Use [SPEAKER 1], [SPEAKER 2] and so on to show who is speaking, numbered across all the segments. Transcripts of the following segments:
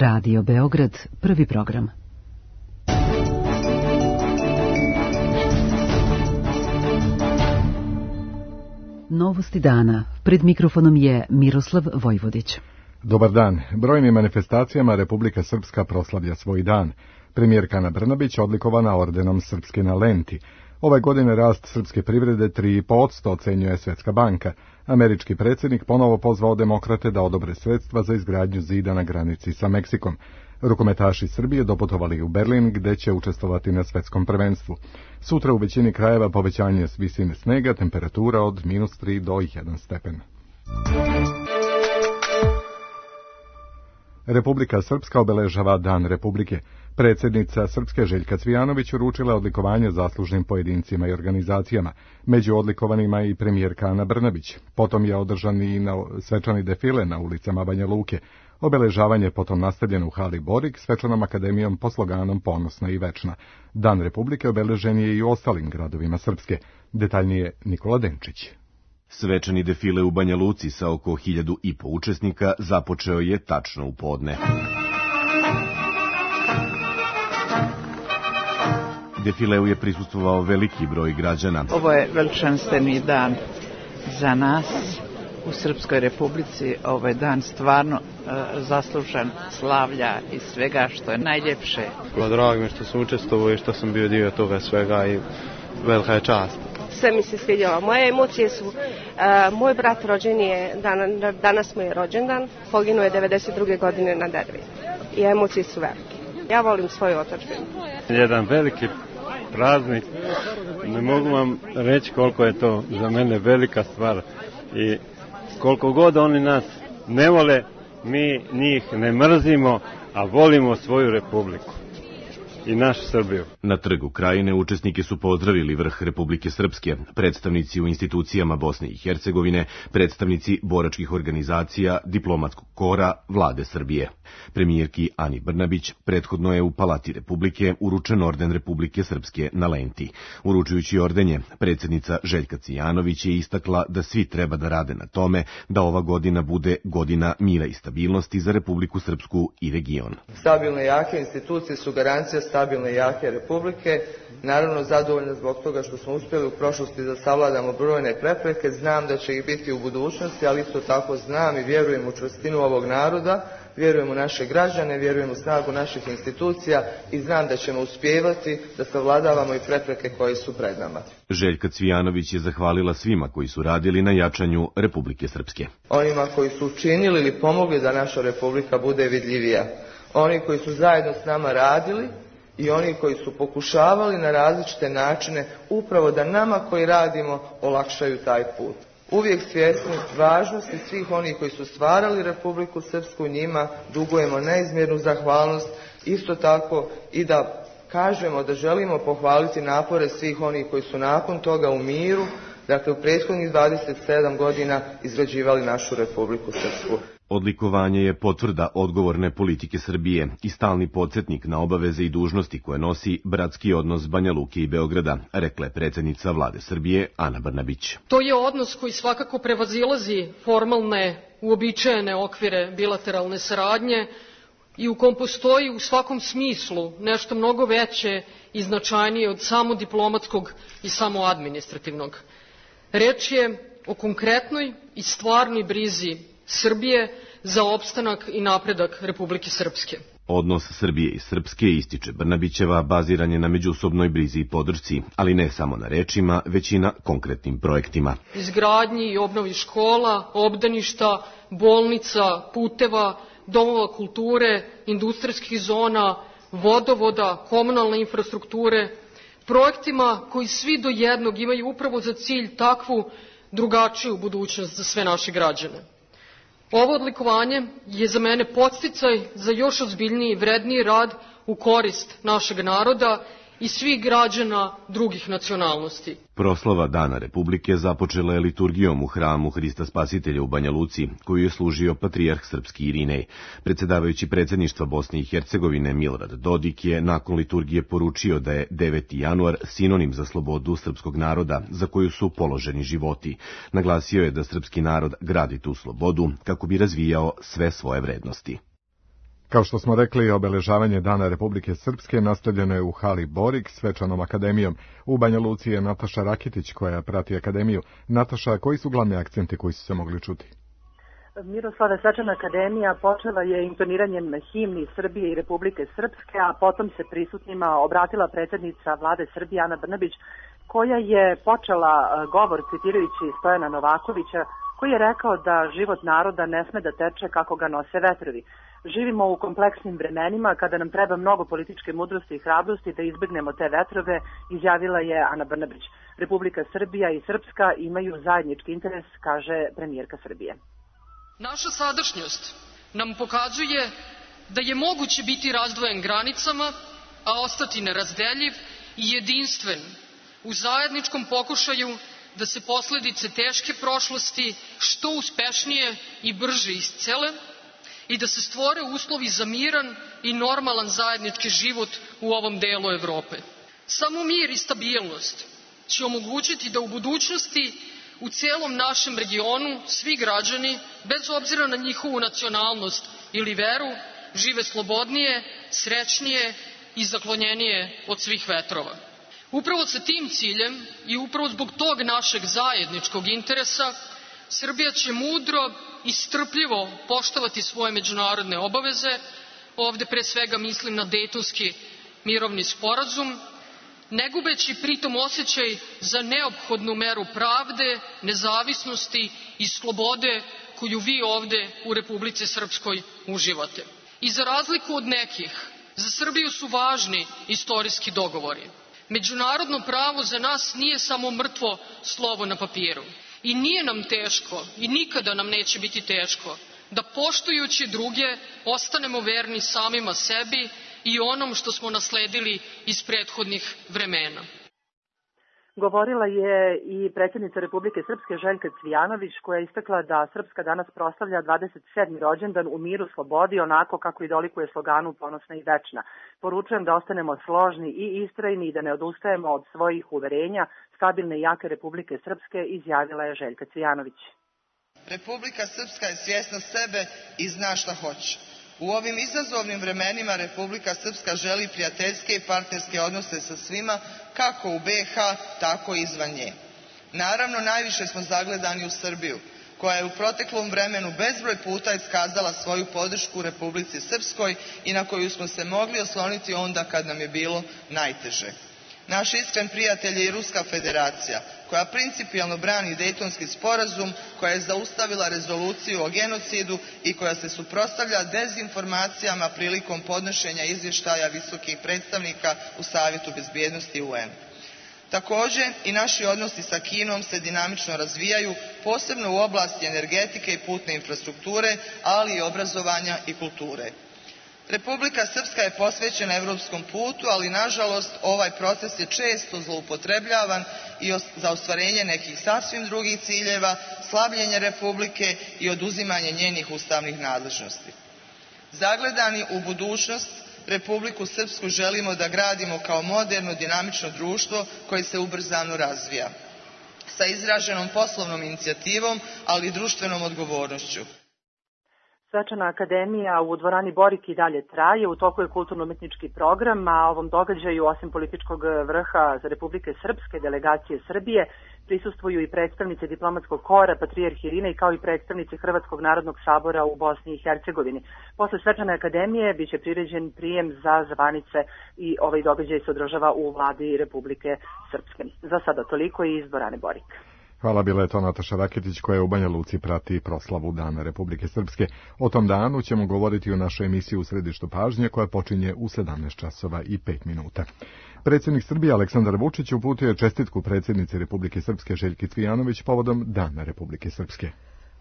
[SPEAKER 1] Radio Beograd, prvi program. Novosti dana. Pred mikrofonom je Miroslav Vojvodić.
[SPEAKER 2] Dobar dan. Brojnim manifestacijama Republika Srpska proslavlja svoj dan. Premijerka Ana Brnabić odlikovana ordenom Srpske na Lenti. Ove godine rast srpske privrede 3,5% ocenjuje Svetska banka. Američki predsjednik ponovo pozvao demokrate da odobre sredstva za izgradnju zida na granici sa Meksikom. Rukometaši Srbije doputovali u Berlin, gde će učestvovati na svetskom prvenstvu. Sutra u većini krajeva povećanje visine snega, temperatura od -3 do 1 stepen. Republika Srpska obeležava Dan Republike. Predsjednica Srpske Željka Cvijanović uručila odlikovanje zaslužnim pojedincima i organizacijama, među odlikovanima i premijerka Ana Brnabić. Potom je održan i svečani defile na ulicama Banja Luke. Obeležavanje potom nastavljeno u hali Borik, svečanom akademijom pod sloganom Ponosna i večna. Dan Republike obeležen je i u ostalim gradovima Srpske. Detaljnije Nikola Denčić.
[SPEAKER 3] Svečani defile u Banja Luci sa oko 1.500 učesnika započeo je tačno u podne. Defileu je prisustvovao veliki broj građana.
[SPEAKER 4] Ovo je veličanstveni dan za nas u Srpskoj Republici. Ovo je dan stvarno zaslužan slavlja i svega što je najljepše.
[SPEAKER 5] Drago mi je što sam učestvovao i što sam bio dio toga svega i velika je čast.
[SPEAKER 6] Sve mi se svidjelo. Moje emocije su, moj brat rođen je, danas mu je rođendan, poginuo je 92. godine na Dervi. I emocije su velike. Ja volim svoju otadžbinu.
[SPEAKER 5] Jedan veliki praznik, ne mogu vam reći koliko je to za mene velika stvar i koliko god oni nas ne vole, mi njih ne mrzimo, a volimo svoju republiku i našu Srbiju.
[SPEAKER 3] Na trgu Krajine učesnike su pozdravili vrh Republike Srpske, predstavnici u institucijama Bosne i Hercegovine, predstavnici boračkih organizacija, diplomatskog kora, vlade Srbije. Premijerki Ani Brnabić prethodno je u Palati Republike uručen orden Republike Srpske na Lenti. Uručujući ordenje, predsjednica Željka Cvijanović je istakla da svi treba da rade na tome da ova godina bude godina mira i stabilnosti za Republiku Srpsku i region.
[SPEAKER 7] Stabilne i jake institucije su garancija stabilne i jake republike. Naravno, zadovoljna zbog toga što smo uspjeli u prošlosti da savladamo brojne prepreke. Znam da će ih biti u budućnosti, ali isto tako znam i vjerujem u čvrstinu ovog naroda, vjerujem u naše građane, vjerujem u snagu naših institucija i znam da ćemo uspijevati da savladavamo i prepreke koje su pred nama.
[SPEAKER 3] Željka Cvijanović je zahvalila svima koji su radili na jačanju Republike Srpske.
[SPEAKER 7] Onima koji su učinili ili pomogli da naša republika bude vidljivija. Oni koji su zajedno s nama radili i oni koji su pokušavali na različite načine upravo da nama koji radimo olakšaju taj put. Uvijek svjesni važnosti svih onih koji su stvarali Republiku Srpsku, njima dugujemo neizmjernu zahvalnost, isto tako i da kažemo da želimo pohvaliti napore svih onih koji su nakon toga u miru, dakle u prethodnih 27 godina izgrađivali našu Republiku Srpsku.
[SPEAKER 3] Odlikovanje je potvrda odgovorne politike Srbije i stalni podsjetnik na obaveze i dužnosti koje nosi bratski odnos Banja Luke i Beograda, rekla je predsjednica vlade Srbije Ana Brnabić.
[SPEAKER 8] To je odnos koji svakako prevazilazi formalne, uobičajene okvire bilateralne saradnje i u kom postoji u svakom smislu nešto mnogo veće i značajnije od samo diplomatskog i samo administrativnog. Reč je o konkretnoj i stvarnoj brizi Srbije za opstanak i napredak Republike Srpske.
[SPEAKER 3] Odnos Srbije i Srpske, ističe Brnabićeva, baziran je na međusobnoj brizi i podršci, ali ne samo na rečima, već i na konkretnim projektima.
[SPEAKER 8] Izgradnji i obnovi škola, obdaništa, bolnica, puteva, domova kulture, industrijskih zona, vodovoda, komunalne infrastrukture, projektima koji svi do jednog imaju upravo za cilj takvu drugačiju budućnost za sve naše građane. Ovo odlikovanje je za mene podsticaj za još ozbiljniji i vredniji rad u korist našeg naroda i svih građana drugih nacionalnosti.
[SPEAKER 3] Proslava Dana Republike započela je liturgijom u hramu Hrista Spasitelja u Banja Luci, koju je služio patrijarh srpski Irinej. Predsjedavajući predsjedništva Bosne i Hercegovine Milorad Dodik je nakon liturgije poručio da je 9. januar sinonim za slobodu srpskog naroda, za koju su položeni životi. Naglasio je da srpski narod gradi tu slobodu kako bi razvijao sve svoje vrednosti.
[SPEAKER 2] Kao što smo rekli, obeležavanje Dana Republike Srpske nastavljeno je u hali Borik svečanom akademijom. U Banja Luci je Nataša Rakitić koja prati akademiju. Nataša, koji su glavni akcenti koji su se mogli čuti?
[SPEAKER 9] Miroslava, svečana akademija počela je intoniranjem himni Srbije i Republike Srpske, a potom se prisutnima obratila predsjednica vlade Srbije Ana Brnabić, koja je počela govor citirajući Stojana Novakovića, koji je rekao da život naroda ne sme da teče kako ga nose vetrovi. Živimo u kompleksnim vremenima kada nam treba mnogo političke mudrosti i hrabrosti da izbegnemo te vetrove, izjavila je Ana Brnabić. Republika Srbija i Srpska imaju zajednički interes, kaže premijerka Srbije.
[SPEAKER 8] Naša sadašnjost nam pokazuje da je moguće biti razdvojen granicama, a ostati nerazdeljiv i jedinstven u zajedničkom pokušaju da se posledice teške prošlosti što uspešnije i brže iscele i da se stvore uslovi za miran i normalan zajednički život u ovom delu Evrope. Samo mir i stabilnost će omogućiti da u budućnosti u cijelom našem regionu svi građani, bez obzira na njihovu nacionalnost ili veru, žive slobodnije, srećnije i zaklonjenije od svih vetrova. Upravo sa tim ciljem i upravo zbog tog našeg zajedničkog interesa, Srbija će mudro i strpljivo poštovati svoje međunarodne obaveze, ovde pre svega mislim na Dejtonski mirovni sporazum, ne gubeći pritom osjećaj za neophodnu meru pravde, nezavisnosti i slobode koju vi ovde u Republici Srpskoj uživate. I za razliku od nekih, za Srbiju su važni istorijski dogovori. Međunarodno pravo za nas nije samo mrtvo slovo na papiru. I nije nam teško, i nikada nam neće biti teško, da poštujući druge ostanemo verni samima sebi i onom što smo nasledili iz prethodnih vremena.
[SPEAKER 9] Govorila je i predsjednica Republike Srpske Željka Cvijanović, koja je istakla da Srpska danas proslavlja 27. rođendan u miru, slobodi, onako kako i dolikuje sloganu Ponosna i večna. Poručujem da ostanemo složni i istrajni i da ne odustajemo od svojih uverenja. Stabilne i jake Republike Srpske, izjavila je Željka Cvijanović.
[SPEAKER 7] Republika Srpska je svjesna sebe i zna šta hoće. U ovim izazovnim vremenima Republika Srpska želi prijateljske i partnerske odnose sa svima, kako u BiH, tako i izvan nje. Naravno, najviše smo zagledani u Srbiju, koja je u proteklom vremenu bezbroj puta iskazala svoju podršku Republici Srpskoj i na koju smo se mogli osloniti onda kad nam je bilo najteže. Naš iskren prijatelj je i Ruska federacija, koja principijelno brani Dejtonski sporazum, koja je zaustavila rezoluciju o genocidu i koja se suprotstavlja dezinformacijama prilikom podnošenja izvještaja visokih predstavnika u Savjetu bezbjednosti UN. Također, i naši odnosi sa Kinom se dinamično razvijaju, posebno u oblasti energetike i putne infrastrukture, ali i obrazovanja i kulture. Republika Srpska je posvećena evropskom putu, ali nažalost ovaj proces je često zloupotrebljavan i za ostvarenje nekih sasvim drugih ciljeva, slabljenje Republike i oduzimanje njenih ustavnih nadležnosti. Zagledani u budućnost, Republiku Srpsku želimo da gradimo kao moderno, dinamično društvo koje se ubrzano razvija, sa izraženom poslovnom inicijativom, ali i društvenom odgovornošću.
[SPEAKER 9] Svečana akademija u dvorani Borik i dalje traje, u toku je kulturno-umetnički program, a ovom događaju, osim političkog vrha za Republike Srpske, delegacije Srbije, prisustvuju i predstavnici diplomatskog kora, patrijarh Irine i kao i predstavnici Hrvatskog narodnog sabora u Bosni i Hercegovini. Posle svečane akademije biće priređen prijem za zvanice i ovaj događaj se održava u vladi Republike Srpske. Za sada toliko i iz dvorane Borik.
[SPEAKER 2] Hvala, bila je to Nataša Rakitić koja u Banja Luci prati proslavu Dana Republike Srpske. O tom danu ćemo govoriti u našoj emisiji U središtu pažnje koja počinje u 17 časova i 5 minuta. Predsjednik Srbije Aleksandar Vučić uputio je čestitku predsjednici Republike Srpske Željki Cvijanović povodom Dana Republike Srpske.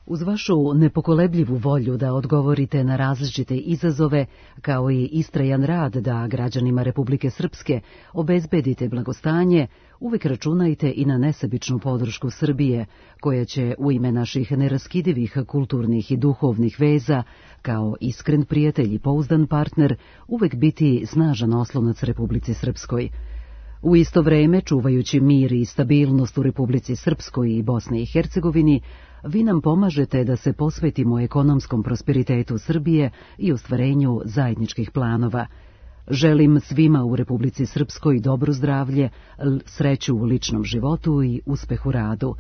[SPEAKER 1] Uz vašu nepokolebljivu volju da odgovorite na različite izazove, kao i istrajan rad da građanima Republike Srpske obezbedite blagostanje, uvek računajte i na nesebičnu podršku Srbije, koja će u ime naših neraskidivih kulturnih i duhovnih veza, kao iskren prijatelj i pouzdan partner, uvek biti snažan oslonac Republici Srpskoj. U isto vreme, čuvajući mir i stabilnost u Republici Srpskoj i Bosni i Hercegovini, vi nam pomažete da se posvetimo ekonomskom prosperitetu Srbije i ostvarenju zajedničkih planova. Želim svima u Republici Srpskoj dobro zdravlje, sreću u ličnom životu i uspeh u radu.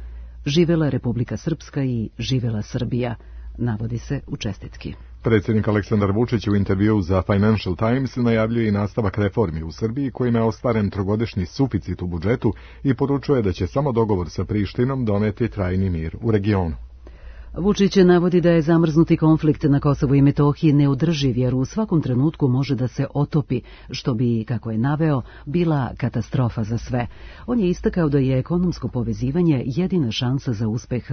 [SPEAKER 1] Živela Republika Srpska i živela Srbija, navodi se u čestitki.
[SPEAKER 2] Predsjednik Aleksandar Vučić u intervjuu za Financial Times najavljuje i nastavak reformi u Srbiji kojima je ostvaren trogodišnji suficit u budžetu i poručuje da će samo dogovor sa Prištinom doneti trajni mir u regionu.
[SPEAKER 1] Vučić navodi da je zamrznuti konflikt na Kosovu i Metohiji neodrživ jer u svakom trenutku može da se otopi, što bi, kako je naveo, bila katastrofa za sve. On je istakao da je ekonomsko povezivanje jedina šansa za uspeh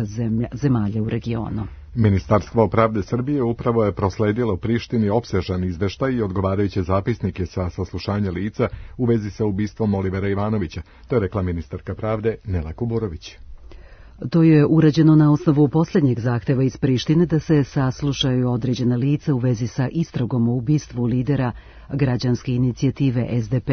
[SPEAKER 1] zemalja u regionu.
[SPEAKER 2] Ministarstvo pravde Srbije upravo je prosledilo Prištini opsežan izveštaj i odgovarajuće zapisnike sa saslušanja lica u vezi sa ubistvom Olivera Ivanovića, to je rekla ministarka pravde Nela Kuburović.
[SPEAKER 1] To je urađeno na osnovu posljednjeg zahteva iz Prištine da se saslušaju određena lica u vezi sa istragom o ubistvu lidera građanske inicijative SDP.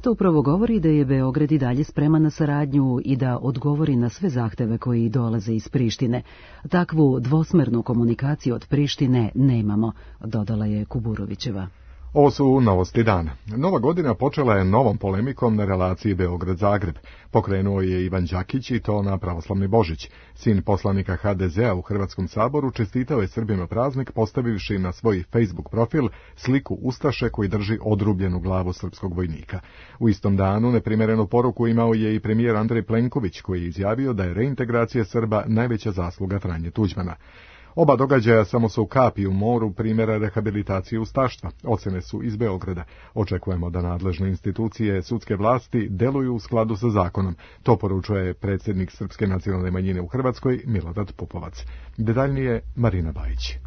[SPEAKER 1] To upravo govori da je Beograd i dalje spreman na saradnju i da odgovori na sve zahteve koji dolaze iz Prištine. Takvu dvosmernu komunikaciju od Prištine nemamo, dodala je Kuburovićeva.
[SPEAKER 2] Ovo su novosti dana. Nova godina počela je novom polemikom na relaciji Beograd-Zagreb. Pokrenuo je Ivan Đakić i to na pravoslavni Božić. Sin poslanika HDZ-a u Hrvatskom saboru čestitao je Srbima praznik postavivši na svoj Facebook profil sliku ustaše koji drži odrubljenu glavu srpskog vojnika. U istom danu neprimjerenu poruku imao je i premijer Andrej Plenković koji je izjavio da je reintegracija Srba najveća zasluga Franje Tuđmana. Oba događaja samo su kapi u moru primjera rehabilitacije ustaštva. Ocene su iz Beograda. Očekujemo da nadležne institucije sudske vlasti deluju u skladu sa zakonom. To poručuje predsjednik Srpske nacionalne manjine u Hrvatskoj Milorad Pupovac. Detaljnije Marina Bajić.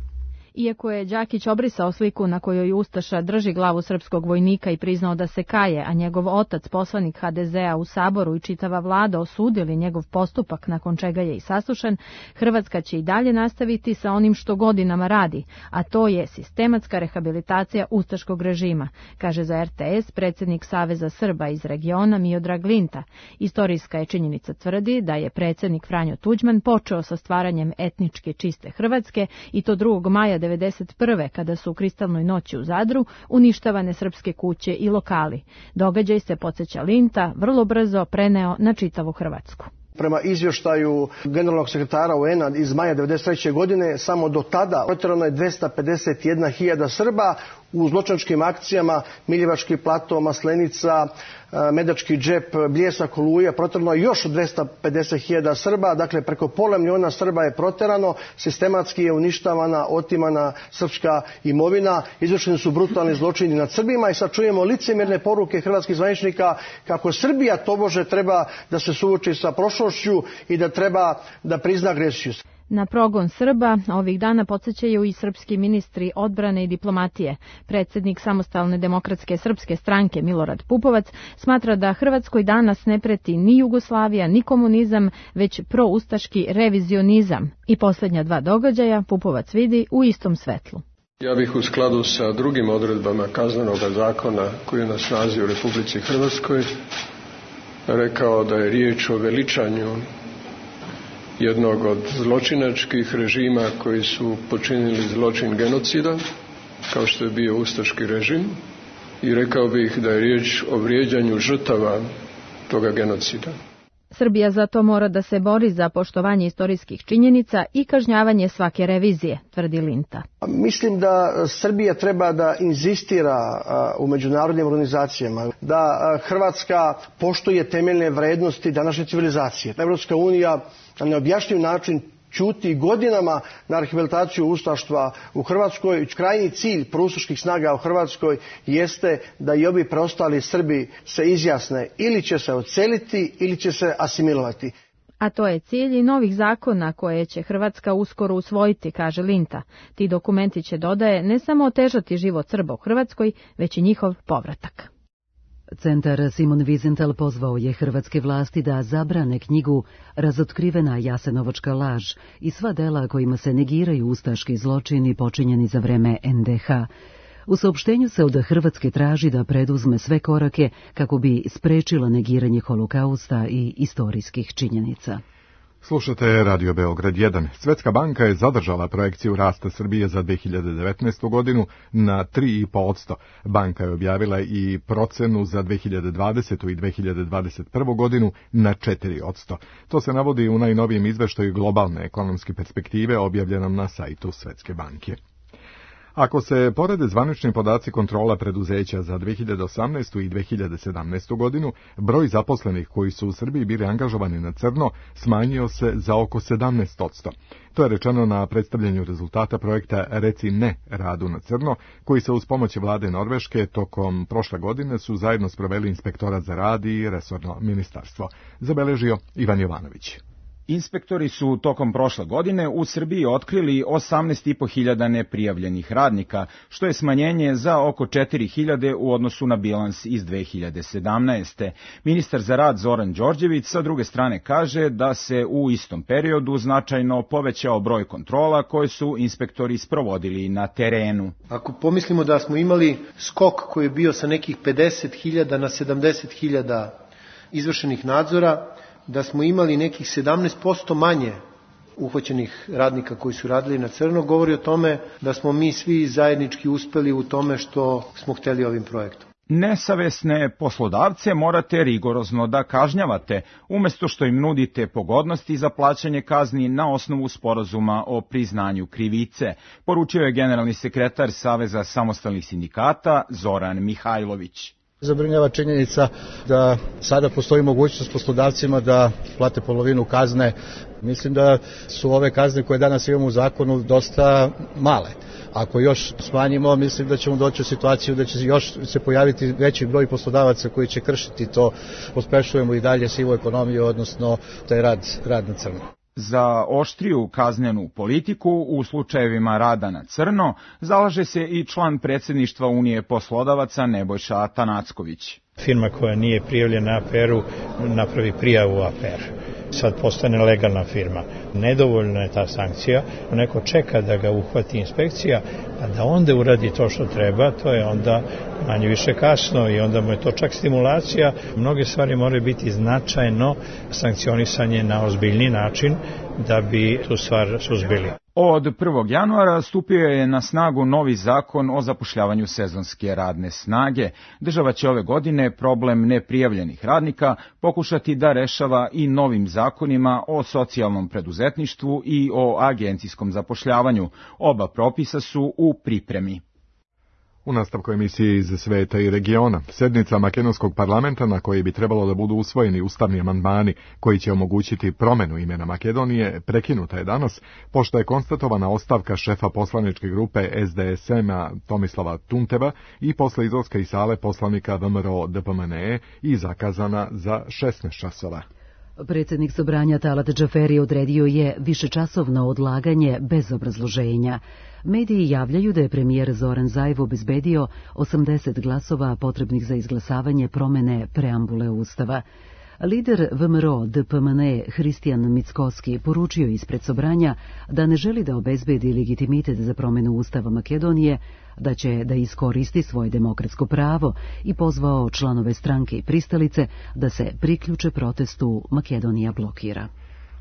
[SPEAKER 10] Iako je Đakić obrisao sliku na kojoj ustaša drži glavu srpskog vojnika i priznao da se kaje, a njegov otac, poslanik HDZ-a u Saboru i čitava vlada osudili njegov postupak nakon čega je i saslušan, Hrvatska će i dalje nastaviti sa onim što godinama radi, a to je sistematska rehabilitacija ustaškog režima, kaže za RTS predsjednik Saveza Srba iz regiona Miodrag Linta. Istorijska je činjenica tvrdi da je predsjednik Franjo Tuđman počeo sa stvaranjem etnički čiste Hrvatske i to 2. maja 1991. kada su u kristalnoj noći u Zadru uništavane srpske kuće i lokali. Događaj se, podsjeća Linta, vrlo brzo preneo na čitavu Hrvatsku.
[SPEAKER 11] Prema izvještaju generalnog sekretara UN-a iz maja 1993. godine, samo do tada protjerano je 251.000 Srba u zločinačkim akcijama Miljevački plato, Maslenica, Medački džep, Bljesak, Oluja, protjerano je još 250.000 Srba, dakle preko pola milijuna Srba je protjerano, sistematski je uništavana, otimana srpska imovina, izvršeni su brutalni zločini nad Srbima i sad čujemo licemjerne poruke hrvatskih zvaničnika kako Srbija tobože treba da se suoči sa prošlošću i da treba da prizna agresiju.
[SPEAKER 10] Na progon Srba ovih dana podsjećaju i srpski ministri odbrane i diplomatije. Predsjednik Samostalne demokratske srpske stranke Milorad Pupovac smatra da Hrvatskoj danas ne preti ni Jugoslavija, ni komunizam, već proustaški revizionizam. I posljednja dva događaja Pupovac vidi u istom svetlu.
[SPEAKER 12] Ja bih u skladu sa drugim odredbama kaznenog zakona koji je na snazi u Republici Hrvatskoj rekao da je riječ o veličanju jednog od zločinačkih režima koji su počinili zločin genocida, kao što je bio ustaški režim, i rekao bih da je riječ o vrijeđanju žrtava toga genocida.
[SPEAKER 10] Srbija zato mora da se bori za poštovanje istorijskih činjenica i kažnjavanje svake revizije, tvrdi Linta.
[SPEAKER 11] Mislim da Srbija treba da inzistira u međunarodnim organizacijama, da Hrvatska poštuje temeljne vrednosti današnje civilizacije. Evropska unija na neobjašnjiv način ćuti godinama na rehabilitaciju ustaštva u Hrvatskoj. Krajnji cilj proustaških snaga u Hrvatskoj jeste da i ovi preostali Srbi se izjasne ili će se odseliti ili će se asimilovati.
[SPEAKER 10] A to je cilj i novih zakona koje će Hrvatska uskoro usvojiti, kaže Linta. Ti dokumenti će, dodaje, ne samo otežati život Srba u Hrvatskoj, već i njihov povratak.
[SPEAKER 1] Centar Simon Wiesenthal pozvao je hrvatske vlasti da zabrane knjigu Razotkrivena Jasenovačka laž i sva dela kojima se negiraju ustaški zločini počinjeni za vreme NDH. U saopštenju se od Hrvatske traži da preduzme sve korake kako bi sprečila negiranje holokausta i istorijskih činjenica.
[SPEAKER 2] Slušate Radio Beograd 1. Svetska banka je zadržala projekciju rasta Srbije za 2019. godinu na 3,5%. Banka je objavila i procenu za 2020. i 2021. godinu na 4%. To se navodi u najnovijem izveštaju globalne ekonomske perspektive objavljenom na sajtu Svetske banke. Ako se porede zvanični podaci kontrola preduzeća za 2018. i 2017. godinu, broj zaposlenih koji su u Srbiji bili angažovani na crno smanjio se za oko 17%. To je rečeno na predstavljanju rezultata projekta Reci ne radu na crno, koji se uz pomoć vlade Norveške tokom prošle godine su zajedno sproveli Inspektorat za rad i resorno ministarstvo. Zabeležio Ivan Jovanović.
[SPEAKER 13] Inspektori su tokom prošle godine u Srbiji otkrili 18.500 neprijavljenih radnika, što je smanjenje za oko 4.000 u odnosu na bilans iz 2017. Ministar za rad Zoran Đorđević sa druge strane kaže da se u istom periodu značajno povećao broj kontrola koje su inspektori sprovodili na terenu.
[SPEAKER 14] Ako pomislimo da smo imali skok koji je bio sa nekih 50.000 na 70.000 izvršenih nadzora, da smo imali nekih 17% manje uhvaćenih radnika koji su radili na crno, govori o tome da smo mi svi zajednički uspeli u tome što smo hteli ovim projektom.
[SPEAKER 13] Nesavesne poslodavce morate rigorozno da kažnjavate, umesto što im nudite pogodnosti za plaćanje kazni na osnovu sporazuma o priznanju krivice, poručio je generalni sekretar Saveza samostalnih sindikata Zoran Mihajlović.
[SPEAKER 15] Zabrinjava činjenica da sada postoji mogućnost poslodavcima da plate polovinu kazne. Mislim da su ove kazne koje danas imamo u zakonu dosta male. Ako još smanjimo, mislim da ćemo doći u situaciju da će još se pojaviti veći broj poslodavaca koji će kršiti to. Pospešujemo i dalje sivu ekonomiju, odnosno taj rad na crno.
[SPEAKER 13] Za oštriju kaznenu politiku u slučajevima rada na crno zalaže se i član predsjedništva Unije poslodavaca Nebojša Atanacković.
[SPEAKER 16] Firma koja nije prijavljena APR-u napravi prijavu APR. Sad postane legalna firma. Nedovoljna je ta sankcija. Neko čeka da ga uhvati inspekcija, a da onda uradi to što treba, to je onda manje više kasno i onda mu je to čak stimulacija. Mnoge stvari moraju biti značajno sankcionisanje na ozbiljni način da bi tu stvar suzbili.
[SPEAKER 13] Od 1. januara stupio je na snagu novi zakon o zapošljavanju sezonske radne snage. Država će ove godine problem neprijavljenih radnika pokušati da rešava i novim zakonima o socijalnom preduzetništvu i o agencijskom zapošljavanju. Oba propisa su u pripremi.
[SPEAKER 2] U nastavku emisije iz sveta i regiona, sednica makedonskog parlamenta na kojoj bi trebalo da budu usvojeni ustavni amandmani koji će omogućiti promenu imena Makedonije, prekinuta je danas, pošto je konstatovana ostavka šefa poslaničke grupe SDSM-a Tomislava Tunteva i posle izlaska iz sale poslanika VMRO DPMNE i zakazana za 16 časova.
[SPEAKER 1] Predsjednik Sobranja Talat Džaferi odredio je višečasovno odlaganje bez obrazloženja. Mediji javljaju da je premijer Zoran Zaev obezbedio 80 glasova potrebnih za izglasavanje promene preambule Ustava. Lider VMRO DPMNE Hristijan Mickoski poručio ispred Sobranja da ne želi da obezbedi legitimitet za promenu Ustava Makedonije, da će da iskoristi svoje demokratsko pravo i pozvao članove stranke i pristalice da se priključe protestu Makedonija blokira.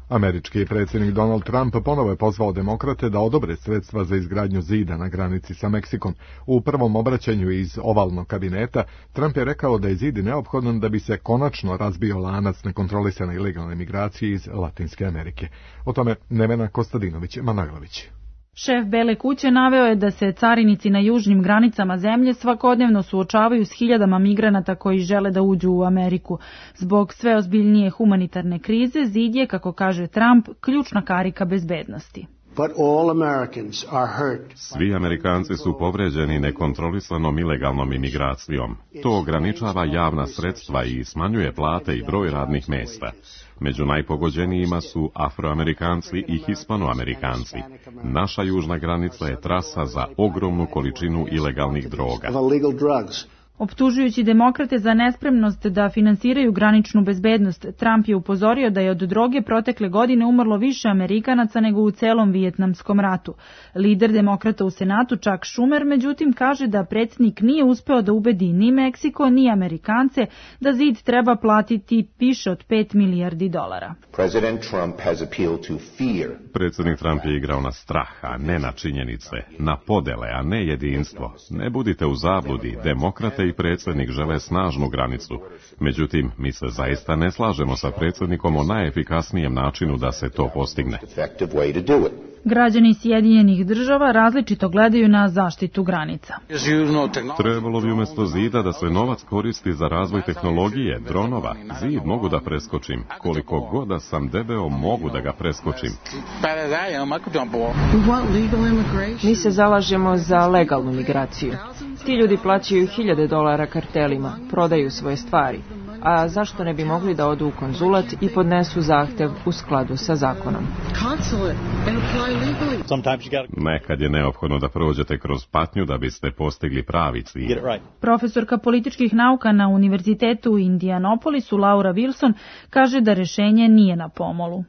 [SPEAKER 2] Američki predsjednik Donald Trump ponovo je pozvao demokrate da odobre sredstva za izgradnju zida na granici sa Meksikom. U prvom obraćanju iz ovalnog kabineta Trump je rekao da je zid neophodan da bi se konačno razbio lanac nekontrolisane ilegalne migracije iz Latinske Amerike. O tome Nevena Kostadinović-Managlović.
[SPEAKER 17] Šef Bele kuće naveo je da se carinici na južnim granicama zemlje svakodnevno suočavaju s hiljadama migranata koji žele da uđu u Ameriku. Zbog sve ozbiljnije humanitarne krize, zid je, kako kaže Trump, ključna karika bezbednosti.
[SPEAKER 18] Svi Amerikanci su povređeni nekontrolisanom ilegalnom imigracijom. To ograničava javna sredstva i smanjuje plate i broj radnih mjesta. Među najpogođenijima su Afroamerikanci i Hispanoamerikanci. Naša južna granica je trasa za ogromnu količinu ilegalnih droga.
[SPEAKER 17] Optužujući demokrate za nespremnost da finansiraju graničnu bezbednost, Trump je upozorio da je od droge protekle godine umrlo više Amerikanaca nego u celom Vijetnamskom ratu. Lider demokrata u Senatu Chuck Schumer međutim kaže da predsjednik nije uspeo da ubedi ni Meksiko ni Amerikance da zid treba platiti više od $5 milijardi.
[SPEAKER 18] Predsjednik Trump je igrao na strah, a ne na činjenice, na podele, a ne jedinstvo. Ne budite u zabludi, demokrate i predsjednik žele snažnu granicu. Međutim, mi se zaista ne slažemo sa predsjednikom o najefikasnijem načinu da se to postigne.
[SPEAKER 17] Građani Sjedinjenih Država različito gledaju na zaštitu granica.
[SPEAKER 18] Trebalo bi umjesto zida da se novac koristi za razvoj tehnologije, dronova. Zid mogu da preskočim. Koliko god da sam debeo, mogu da ga preskočim.
[SPEAKER 19] Mi se zalažemo za legalnu migraciju. Ti ljudi plaćaju $1000 kartelima, prodaju svoje stvari. A zašto ne bi mogli da odu u konzulat i podnesu zahtev u skladu sa zakonom?
[SPEAKER 18] Nekad je neophodno da prođete kroz patnju da biste postigli pravi cilj.
[SPEAKER 17] Profesorka političkih nauka na Univerzitetu u Indianapolisu Laura Wilson kaže da rešenje nije na pomolu.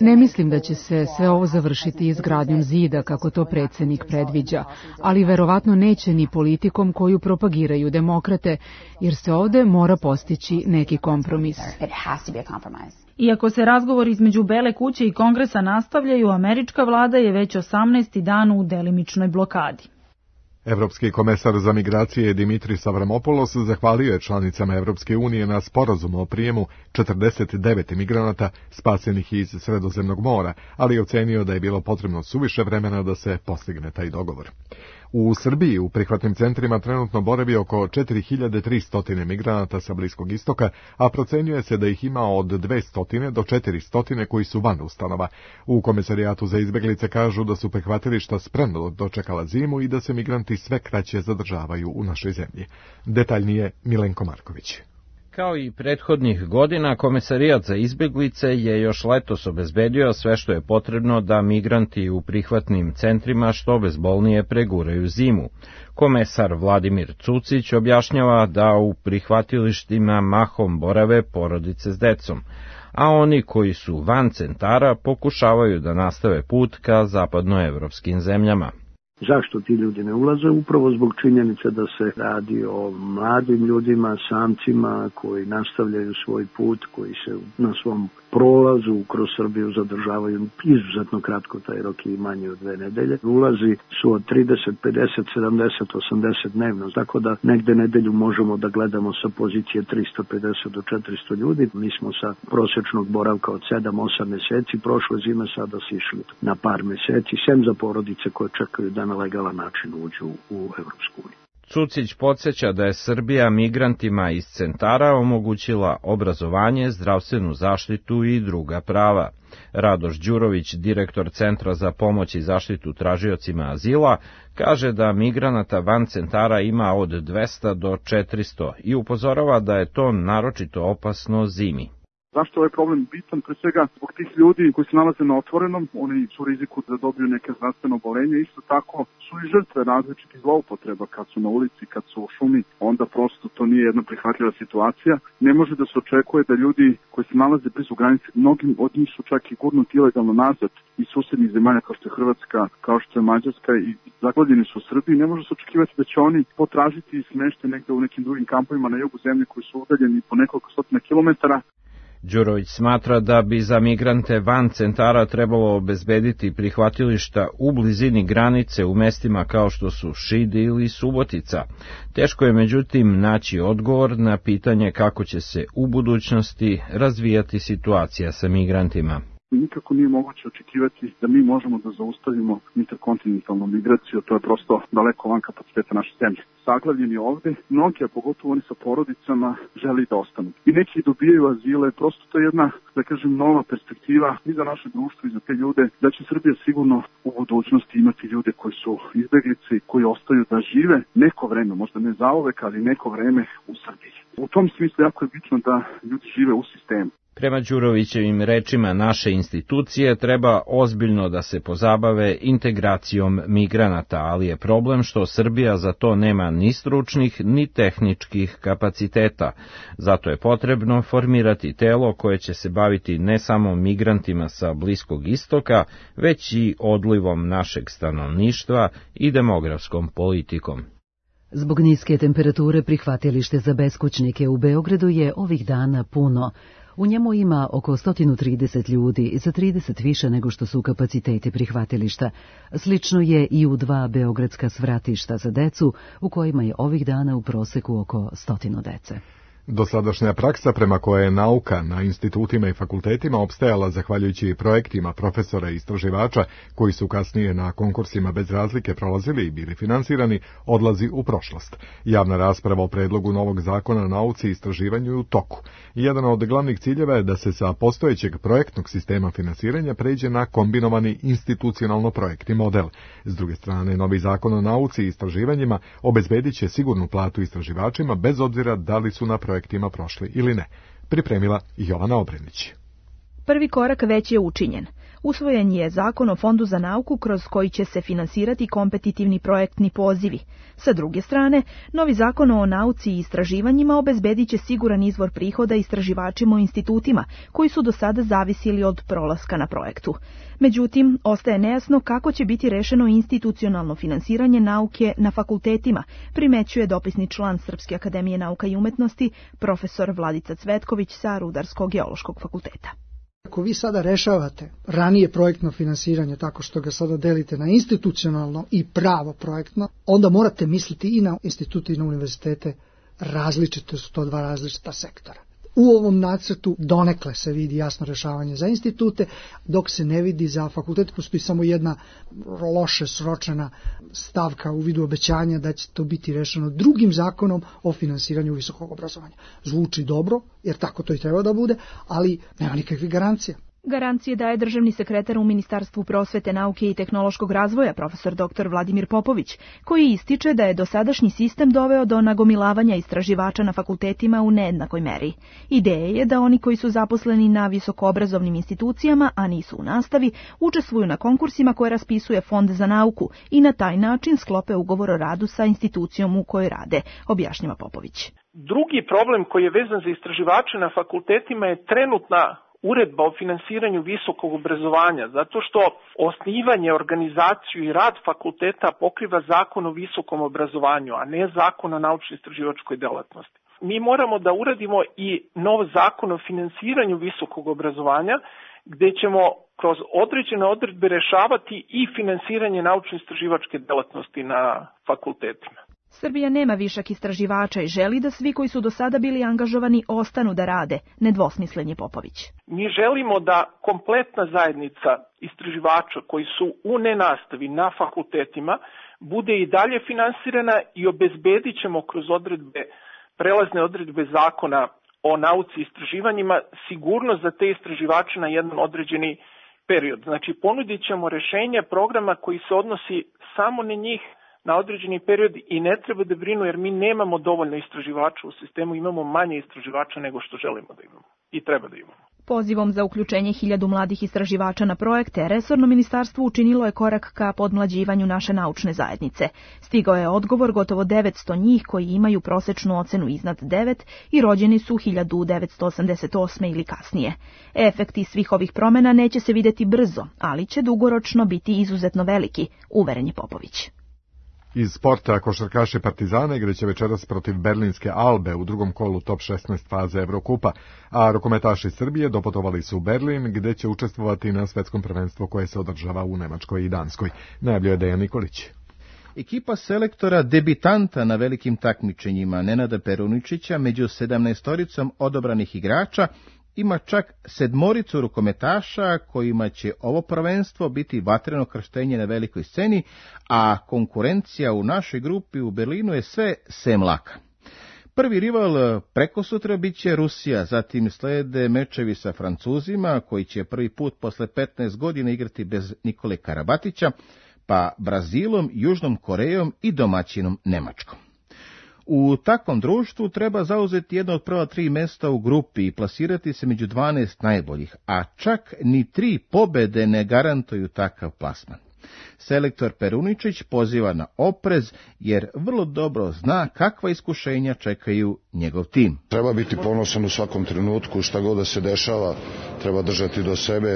[SPEAKER 1] Ne mislim da će se sve ovo završiti izgradnjom zida kako to predsjednik predviđa, ali verovatno neće ni politikom koju propagiraju demokrate, jer se ovde mora postići neki kompromis.
[SPEAKER 17] Iako se razgovori između Bele kuće i Kongresa nastavljaju, američka vlada je već 18. dan u delimičnoj blokadi.
[SPEAKER 2] Evropski komesar za migracije Dimitris Avramopoulos zahvalio je članicama Evropske unije na sporazumu o prijemu 49 migranata spasenih iz Sredozemnog mora, ali je ocenio da je bilo potrebno suviše vremena da se postigne taj dogovor. U Srbiji u prihvatnim centrima trenutno boravi oko 4300 migranata sa Bliskog istoka, a procenjuje se da ih ima od 200 do 400 koji su van ustanova. U Komesarijatu za izbeglice kažu da su prihvatilišta spremno dočekala zimu i da se migranti sve kraće zadržavaju u našoj zemlji. Detaljnije Milenko Marković.
[SPEAKER 20] Kao i prethodnih godina, Komesarijat za izbeglice je još letos obezbedio sve što je potrebno da migranti u prihvatnim centrima što bezbolnije preguraju zimu. Komesar Vladimir Cucić objašnjava da u prihvatilištima mahom borave porodice s decom, a oni koji su van centara pokušavaju da nastave put ka zapadnoevropskim zemljama.
[SPEAKER 21] Zašto ti ljudi ne ulaze? Upravo zbog činjenice da se radi o mladim ljudima, samcima koji nastavljaju svoj put, koji se na svom prolazu kroz Srbiju zadržavaju izuzetno kratko, taj rok je manje od 2 nedelje. Ulazi su od 30, 50, 70, 80 dnevno, tako da negde nedelju možemo da gledamo sa pozicije 350 do 400 ljudi. Mi smo sa prosječnog boravka od 7-8 meseci prošle zime sada sišli na par meseci, sem za porodice koje čekaju da na legalan način uđu u Evropsku uniju.
[SPEAKER 20] Cucić podsjeća da je Srbija migrantima iz centara omogućila obrazovanje, zdravstvenu zaštitu i druga prava. Radoš Đurović, direktor Centra za pomoć i zaštitu tražiocima azila, kaže da migranata van centara ima od 200 do 400 i upozorava da je to naročito opasno zimi.
[SPEAKER 22] Zašto je ovaj problem bitan? Pre svega zbog tih ljudi koji se nalaze na otvorenom, oni su u riziku da dobiju neke zdravstveno oboljenje, isto tako su i žrtve različitih zloupotreba kad su na ulici, kad su u šumi, onda prosto to nije jedna prihvatljiva situacija. Ne može da se očekuje da ljudi koji se nalaze blizu granice, mnogi od njih su čak i gurnuti ilegalno nazad iz susednih zemalja kao što je Hrvatska, kao što je Mađarska i zaglavljeni su u Srbiji. Ne može se očekivati da će oni potražiti smeštaj negde u nekim drugim kampovima na jugu zemlje koji su udaljeni po nekoliko stotina kilometara.
[SPEAKER 20] Đurović smatra da bi za migrante van centara trebalo obezbediti prihvatilišta u blizini granice u mestima kao što su Šid ili Subotica. Teško je međutim naći odgovor na pitanje kako će se u budućnosti razvijati situacija sa migrantima.
[SPEAKER 22] Nikako nije moguće očekivati da mi možemo da zaustavimo interkontinentalnu migraciju, to je prosto daleko van kapaciteta naše zemlje. Saglavljeni ovde, mnogi, a pogotovo oni sa porodicama, želi da ostanu. I neki dobijaju azile, prosto to je jedna, da kažem, nova perspektiva i za naše društvo i za te ljude, da će Srbija sigurno u budućnosti imati ljude koji su izbeglice i koji ostaju da žive neko vreme, možda ne zauvek, ali neko vreme u Srbiji. U tom smislu jako je bitno da ljudi žive u sistemu.
[SPEAKER 20] Prema Đurovićevim rečima, naše institucije treba ozbiljno da se pozabave integracijom migranata, ali je problem što Srbija za to nema ni stručnih ni tehničkih kapaciteta. Zato je potrebno formirati telo koje će se baviti ne samo migrantima sa Bliskog istoka, već i odlivom našeg stanovništva i demografskom politikom.
[SPEAKER 1] Zbog niske temperature prihvatilište za beskućnike u Beogradu je ovih dana puno. U njemu ima oko 130 ljudi, za 30 više nego što su kapaciteti prihvatilišta. Slično je i u 2 beogradska svratišta za decu, u kojima je ovih dana u proseku oko 100 dece.
[SPEAKER 2] Dosadašnja praksa prema kojoj je nauka na institutima i fakultetima opstajala zahvaljujući projektima profesora i istraživača koji su kasnije na konkursima bez razlike prolazili i bili finansirani, odlazi u prošlost. Javna rasprava o predlogu novog zakona o nauci i istraživanju je u toku. Jedan od glavnih ciljeva je da se sa postojećeg projektnog sistema finansiranja pređe na kombinovani institucionalno-projektni model. S druge strane, novi zakon o nauci i istraživanjima obezbedit će sigurnu platu istraživačima bez obzira da li su na projektima prošli ili ne. Pripremila Jovana Obrenić.
[SPEAKER 4] Prvi korak već je učinjen. Usvojen je Zakon o Fondu za nauku kroz koji će se finansirati kompetitivni projektni pozivi. Sa druge strane, novi Zakon o nauci i istraživanjima obezbedit će siguran izvor prihoda istraživačima u institutima koji su do sada zavisili od prolaska na projektu. Međutim, ostaje nejasno kako će biti rešeno institucionalno finansiranje nauke na fakultetima, primećuje dopisni član Srpske akademije nauka i umetnosti, profesor Vladica Cvetković sa Rudarsko-geološkog fakulteta.
[SPEAKER 6] Ako vi sada rešavate ranije projektno finansiranje tako što ga sada delite na institucionalno i pravo projektno, onda morate misliti i na institute i na univerzitete, različite su to 2 različita sektora. U ovom nacrtu donekle se vidi jasno rešavanje za institute, dok se ne vidi za fakultet. Postoji samo jedna loše sročena stavka u vidu obećanja da će to biti rešeno drugim zakonom o finansiranju visokog obrazovanja. Zvuči dobro, jer tako to i treba da bude, ali nema nikakvih garancija.
[SPEAKER 4] Garancije daje državni sekretar u Ministarstvu prosvete, nauke i tehnološkog razvoja, profesor dr. Vladimir Popović, koji ističe da je dosadašnji sistem doveo do nagomilavanja istraživača na fakultetima u nejednakoj meri. Ideja je da oni koji su zaposleni na visokoobrazovnim institucijama, a nisu u nastavi, učestvuju na konkursima koje raspisuje Fond za nauku i na taj način sklope ugovor o radu sa institucijom u kojoj rade, objašnjava Popović.
[SPEAKER 23] Drugi problem koji je vezan za istraživače na fakultetima je trenutna uredba o finansiranju visokog obrazovanja, zato što osnivanje, organizaciju i rad fakulteta pokriva Zakon o visokom obrazovanju, a ne Zakon o naučno-istraživačkoj delatnosti. Mi moramo da uradimo i nov Zakon o finansiranju visokog obrazovanja, gde ćemo kroz određene odredbe rešavati i finansiranje naučno-istraživačke delatnosti na fakultetima.
[SPEAKER 4] Srbija nema višak istraživača i želi da svi koji su do sada bili angažovani ostanu da rade, nedvosmislen je Popović.
[SPEAKER 23] Mi želimo da kompletna zajednica istraživača koji su u nenastavi na fakultetima bude i dalje finansirana i obezbedit ćemo kroz prelazne odredbe zakona o nauci i istraživanjima sigurnost za te istraživače na jedan određeni period. Znači, ponudit ćemo rešenje programa koji se odnosi samo na njih na određeni period i ne treba da brinu jer mi nemamo dovoljno istraživača u sistemu, imamo manje istraživača nego što želimo da imamo i treba da imamo.
[SPEAKER 4] Pozivom za uključenje 1000 mladih istraživača na projekte, resorno ministarstvo učinilo je korak ka podmlađivanju naše naučne zajednice. Stigao je odgovor gotovo 900 njih koji imaju prosečnu ocenu iznad 9 i rođeni su 1988. ili kasnije. Efekti svih ovih promjena neće se videti brzo, ali će dugoročno biti izuzetno veliki, uveren je Popović.
[SPEAKER 2] Iz sporta košarkaši Partizana igraće večeras protiv Berlinske Albe u drugom kolu top 16 faze Evrokupa, a rukometaši Srbije doputovali su u Berlin gdje će učestvovati na svetskom prvenstvu koje se održava u Nemačkoj i Danskoj. Najavljuje Dejan Nikolić.
[SPEAKER 24] Ekipa selektora debitanta na velikim takmičenjima Nenada Peruničića među 17-oricom odabranih igrača ima čak 7 rukometaša kojima će ovo prvenstvo biti vatreno krštenje na velikoj sceni, a konkurencija u našoj grupi u Berlinu je sve sem laka. Prvi rival prekosutra bit će Rusija, zatim slede mečevi sa Francuzima, koji će prvi put posle 15 godina igrati bez Nikole Karabatića, pa Brazilom, Južnom Korejom i domaćinom Nemačkom. U takvom društvu treba zauzeti jedno od prva 3 mesta u grupi i plasirati se među 12 najboljih, a čak ni 3 pobede ne garantuju takav plasman. Selektor Peruničić poziva na oprez jer vrlo dobro zna kakva iskušenja čekaju njegov tim.
[SPEAKER 3] Treba biti ponosan u svakom trenutku, šta god da se dešava, treba držati do sebe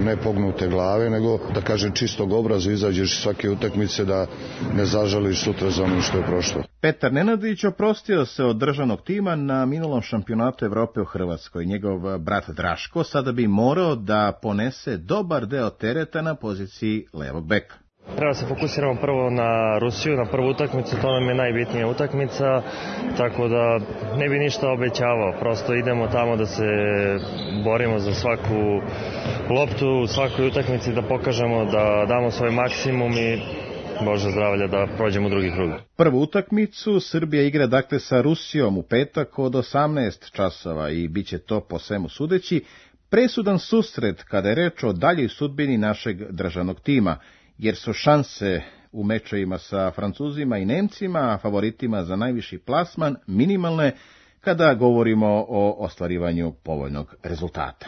[SPEAKER 3] ne pognute glave, nego da kažem čistog obraza, izađeš svake utakmice da ne zažališ sutra za ono što je prošlo.
[SPEAKER 24] Petar Nenadić oprostio se od državnog tima na minulom šampionatu Evrope u Hrvatskoj. Njegov brat Draško sada bi morao da ponese dobar deo tereta na poziciji levog beka.
[SPEAKER 5] Treba se fokusiramo prvo na Rusiju, na prvu utakmicu, to nam je najbitnija utakmica, tako da ne bi ništa obećavao, prosto idemo tamo da se borimo za svaku loptu, u svakoj utakmici da pokažemo da damo svoj maksimum i Bože zdravlja da prođemo u drugi krug.
[SPEAKER 24] Prvu utakmicu Srbija igra dakle sa Rusijom u petak od 18 časova i bit će to po svemu sudeći presudan susret kada je reč o daljoj sudbini našeg državnog tima, jer su šanse u mečevima sa Francuzima i Nemcima, favoritima za najviši plasman, minimalne kada govorimo o ostvarivanju povoljnog rezultata.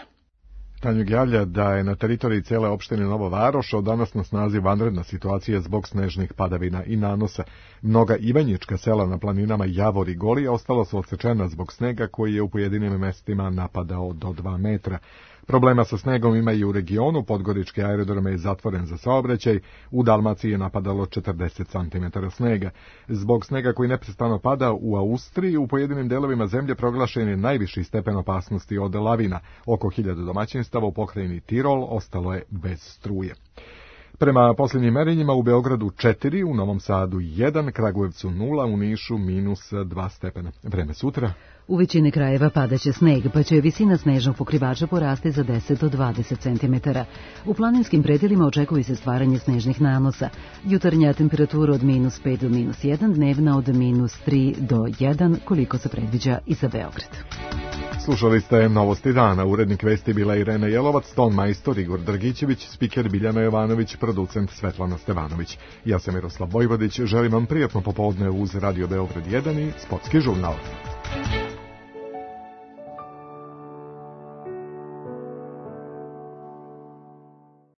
[SPEAKER 2] Tanjug javlja da je na teritoriji cijele opštine Nova Varoš od danas na snazi vanredna situacija zbog snežnih padavina i nanosa. Mnoga ivanjička sela na planinama Javor i Golija ostala su odsečena zbog snega koji je u pojedinim mestima napadao do 2 metra. Problema sa snegom ima i u regionu, Podgorički aerodrom je zatvoren za saobraćaj, u Dalmaciji je napadalo 40 cm snega. Zbog snega koji neprestano pada u Austriji, u pojedinim delovima zemlje proglašen je najviši stepen opasnosti od lavina. Oko 1000 domaćinstava u pokrajini Tirol ostalo je bez struje. Prema posljednjim merenjima u Beogradu 4, u Novom Sadu 1, Kragujevcu 0, u Nišu -2 stepena. Vreme sutra.
[SPEAKER 1] U većini krajeva padaće sneg, pa će visina snežnog pokrivača porasti za 10 do 20 cm. U planinskim predjelima očekuje se stvaranje snežnih nanosa. Jutarnja temperatura od -5 do -1, dnevna od -3 do 1, koliko se predviđa i za Beograd.
[SPEAKER 2] Slušali ste Novosti dana, urednik vesti bila Irena Jelovac, ton majstor Igor Dragićević, spiker Biljana Jovanović, producent Svetlana Stevanović. Ja sam Miroslav Vojvodić, želim vam prijatno popodne uz Radio Beograd 1 i Sportski žurnal.